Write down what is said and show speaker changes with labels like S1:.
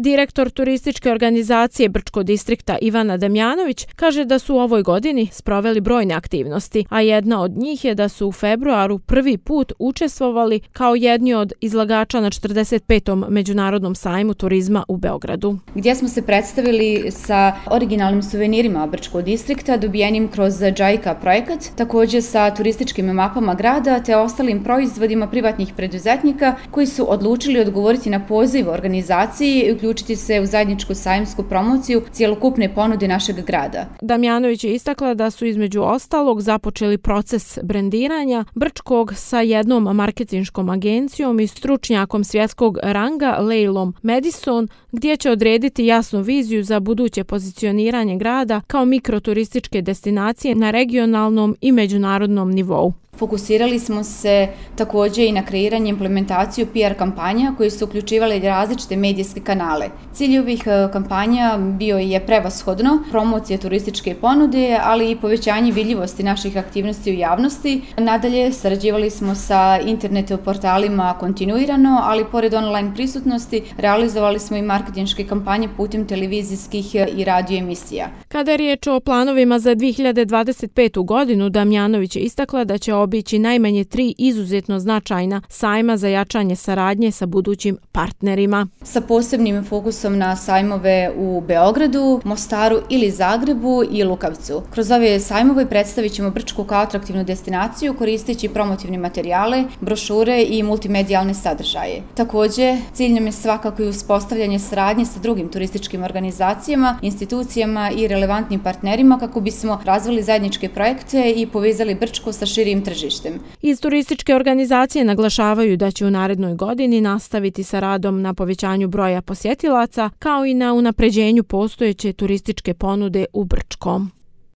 S1: Direktor turističke organizacije Brčko distrikta Ivana Damjanović kaže da su u ovoj godini sproveli brojne aktivnosti, a jedna od njih je da su u februaru prvi put učestvovali kao jedni od izlagača na 45. Međunarodnom sajmu turizma u Beogradu.
S2: Gdje smo se predstavili sa originalnim suvenirima Brčkog distrikta dobijenim kroz JICA projekat, također sa turističkim mapama grada te ostalim proizvodima privatnih preduzetnika koji su odlučili odgovoriti na poziv organizaciji i uključiti se u zajedničku sajmsku promociju cjelokupne ponude našeg grada.
S1: Damjanović je istakla da su između ostalog započeli proces brendiranja Brčkog sa jednom marketinškom agencijom i stručnjakom svjetskog ranga Leilom Madison, gdje će odrediti jasnu viziju za buduće pozicioniranje grada kao mikroturističke destinacije na regionalnom i međunarodnom nivou.
S2: Fokusirali smo se također i na kreiranje i implementaciju PR kampanja koje su uključivale različite medijske kanale. Cilj ovih kampanja bio je prevashodno promocija turističke ponude, ali i povećanje vidljivosti naših aktivnosti u javnosti. Nadalje, sarađivali smo sa internet portalima kontinuirano, ali pored online prisutnosti realizovali smo i marketinške kampanje putem televizijskih i radio emisija.
S1: Kada je riječ o planovima za 2025. godinu, Damjanović je istakla da će obići najmanje 3 izuzetno značajna sajma za jačanje saradnje sa budućim partnerima.
S2: Sa posebnim fokusom na sajmove u Beogradu, Mostaru ili Zagrebu i Lukavcu. Kroz ove sajmove predstavit ćemo Brčku kao atraktivnu destinaciju koristeći promotivne materijale, brošure i multimedijalne sadržaje. Također, cilj nam je svakako i uspostavljanje saradnje sa drugim turističkim organizacijama, institucijama i relevantnim partnerima kako bismo razvili zajedničke projekte i povezali Brčko sa širim tržištem.
S1: Iz turističke organizacije naglašavaju da će u narednoj godini nastaviti sa radom na povećanju broja posjetilaca kao i na unapređenju postojeće turističke ponude u Brčkom.